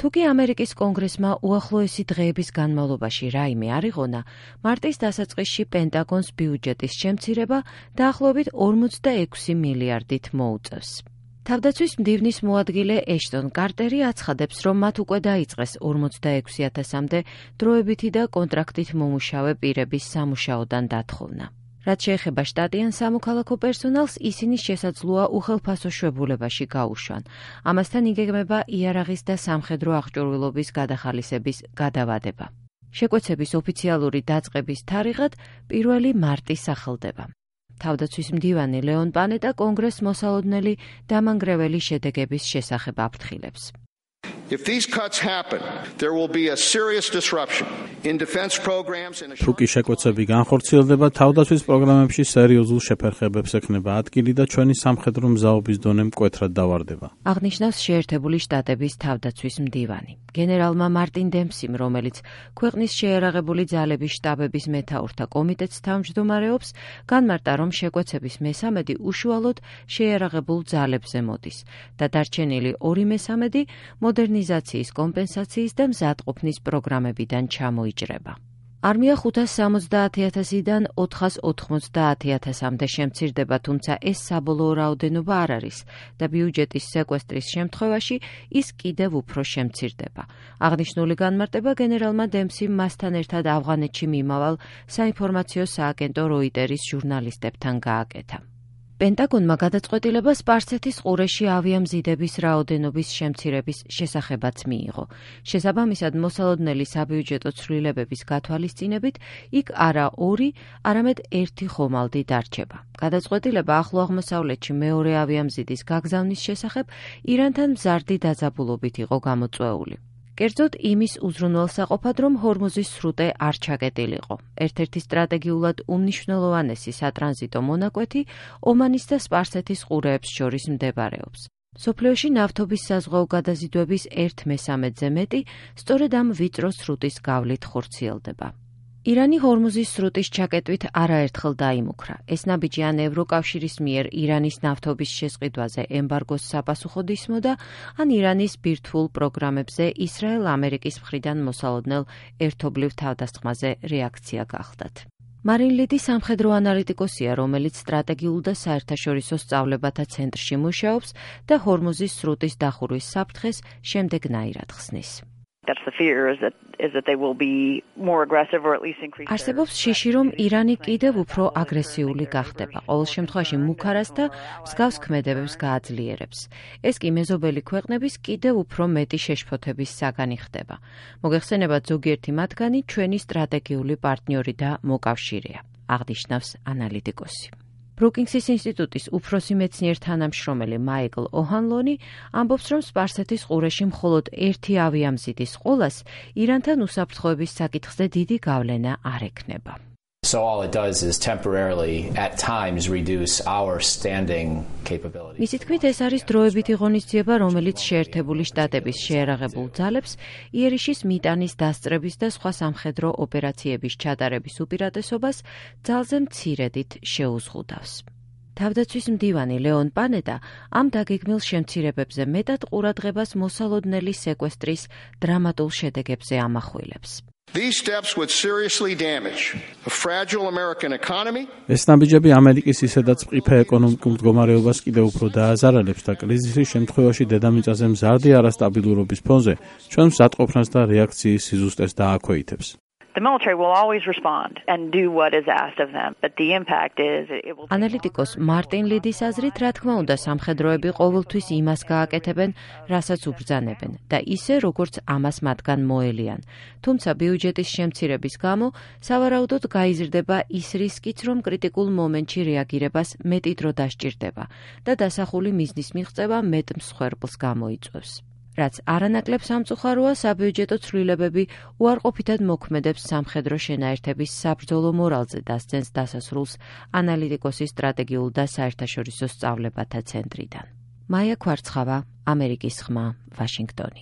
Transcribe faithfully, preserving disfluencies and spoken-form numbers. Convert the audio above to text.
თუკი ამერიკის კონგრესმა უახლოესი დღეების განმავლობაში რაიმე არ იღონა, მარტის დასაწყისში პენტაგონს ბიუჯეტის შემცირება დაახლოებით ორმოცდაექვსი მილიარდით მოუწევს. თავდაცვის მდივნის მოადგილე ეშტონ კარტერი აცხადებს, რომ მათ უკვე დაიწყეს ორმოცდაექვსი ათასამდე დროებითი და კონტრაქტით მომუშავე პირების სამუშაოდან დათხოვნა. რაც შეეხება შტატიან სამოქალაქო პერსონალს, ისინი შესაძლოა უხელფასო შვებულებაში გაუშვან. ამასთან იგეგმება იარაღის და სამხედრო აღჭურვილობის გადახალისების გადავადება. შეკვეცების ოფიციალური დაწყების თარიღად პირველი მარტი სახელდება. თავდაცვის მდივანი ლეონ პანეტა კონგრესს მოსალოდნელი დამანგრეველი შედეგების შესახებ აფრთხილებს. If these cuts happen, there will be a serious disruption in defense programs and თუკი შეკვეცები განხორციელდება, თავდაცვის პროგრამებში სერიოზულ შეფერხებებს ექნება ადგილი და ჩვენი სამხედრო მზაობის დონე მკვეთრად დავარდება. აღნიშნავს შეერთებული შტატების თავდაცვის მდივანი. გენერალმა მარტინ დემსიმ, რომელიც ქვეყნის შეიარაღებული ძალების შტაბების მეთაურთა კომიტეტს თავმჯდომარეობს, განმარტა, რომ შეკვეცების მესამედი უშუალოდ შეიარაღებულ ძალებზე მოდის და დარჩენილი ორი მესამედი მოდერნიზაციის კომპენსაციის და მზადყოფნის პროგრამებიდან ჩამოიჭრება. არმია ხუთას სამოცდაათი ათასიდან ოთხას ოთხმოცდაათი ათასამდე შემცირდება, თუმცა ეს საბოლოო რაოდენობა არ არის და ბიუჯეტის სეკვესტრის შემთხვევაში ის კიდევ უფრო შემცირდება. აღნიშნული განმარტება გენერალმა დემსიმ მასთან ერთად ავღანეთში მიმავალ საინფორმაციო სააგენტო როიტერის ჟურნალისტებთან გააკეთა. პენტაგონმა გადაწყვეტილება სპარსეთის ყურეში ავიამზიდების რაოდენობის შემცირების შესახებაც მიიღო. შესაბამისად, მოსალოდნელი საბიუჯეტო ცვლილებების გათვალისწინებით, იქ არა ორი, არამედ ერთი ხომალდი დარჩება. გადაწყვეტილება ახლო აღმოსავლეთში მეორე ავიამზიდის გაგზავნის შესახებ ირანთან მზარდი დაძაბულობით იყო გამოწვეული. კერძოდ იმის უზრუნველსაყოფად, რომ ჰორმუზის სრუტე არ ჩაკეტილიყო. ერთ-ერთი სტრატეგიულად უმნიშვნელოვანესი სატრანზიტო მონაკვეთი ომანის და სპარსეთის ყურეებს შორის მდებარეობს. მსოფლიოში ნავთობის საზღვაო გადაზიდვების ერთ მესამედზე მეტი სწორედ ამ ვიწრო სრუტის გავლით ხორციელდება. ირანი ჰორმუზის სრუტის ჩაკეტვით არაერთხელ დაიმუქრა. ეს ნაბიჯი ან ევროკავშირის მიერ ირანის ნავთობის შესყიდვაზე ემბარგოს საპასუხოდ ისმოდა, ან ირანის ბირთვულ პროგრამებზე ისრაელ-ამერიკის მხრიდან მოსალოდნელ ერთობლივ თავდასხმაზე რეაქცია გახდათ. მარინ ლიდი სამხედრო ანალიტიკოსია, რომელიც სტრატეგიულ და საერთაშორისო სწავლებათა ცენტრში მუშაობს და ჰორმუზის სრუტის დახურვის საფრთხეს შემდეგნაირად ხსნის. არსებობს შიში, რომ ირანი კიდევ უფრო აგრესიული გახდება. ყოველ შემთხვევაში მუქარას და მსგავს ქმედებებს გააძლიერებს. ეს კი მეზობელი ქვეყნების კიდევ უფრო მეტი შეშფოთების საგანი ხდება. მოგეხსენებათ, ზოგიერთი მათგანი ჩვენი სტრატეგიული პარტნიორი და მოკავშირეა, აღნიშნავს ანალიტიკოსი. ბრუკინგსის ინსტიტუტის უფროსი მეცნიერ თანამშრომელი მაიკლ ოჰანლონი ამბობს, რომ სპარსეთის ყურეში მხოლოდ ერთი ავიამზიდის ყოლას ირანთან უსაფრთხოების საკითხზე დიდი გავლენა არ ექნება. So all it does is temporarily at times reduce our standing capability. მისი თქმით, ეს არის დროებითი ღონისძიება, რომელიც შეერთებული შტატების შეიარაღებულ ძალებს იერიშის მიტანის დასწრების და სხვა სამხედრო ოპერაციების ჩატარების უპირატესობას ძალზე მცირედით შეუზღუდავს. თავდაცვის მდივანი ლეონ პანეტა ამ დაგეგმილ შემცირებებზე მეტად ყურადღებას მოსალოდნელი სეკვესტრის დრამატულ შედეგებზე ამახვილებს. These steps would seriously damage a fragile American economy. ეს ნაბიჯები ამერიკის ისედაც მყიფე ეკონომიკურ მდგომარეობას კიდევ უფრო დააზარალებს და კრიზისის შემთხვევაში დედამიწაზე მზარდი არასტაბილურობის ფონზე ჩვენ მზადყოფნას და რეაქციის სიზუსტეს დააქვეითებს. The military will always respond and do what is asked of them, but the impact is it will. ანალიტიკოს მარტინ ლიდის აზრით, რა თქმა უნდა, სამხედროები ყოველთვის იმას გააკეთებენ, რასაც უბრძანებენ და ისე, როგორც ამას მათგან მოელიან. თუმცა ბიუჯეტის შემცირების გამო სავარაუდოდ გაიზრდება ის რისკიც, რომ კრიტიკულ მომენტში რეაგირებას მეტი დრო დასჭირდება და დასახული მიზნის მიღწევა მეტ მსხვერპლს გამოიწვევს. რაც არანაკლებ სამწუხაროა, საბიუჯეტო ცვლილებები უარყოფითად მოქმედებს სამხედრო შენაერთების საბრძოლო მორალზე დასცენს დასასრულს ანალიტიკოსის სტრატეგიულ და საერთაშორისო სწავლებათა ცენტრიდან. მაია ქვარცხავა, ამერიკის ხმა, ვაშინგტონი.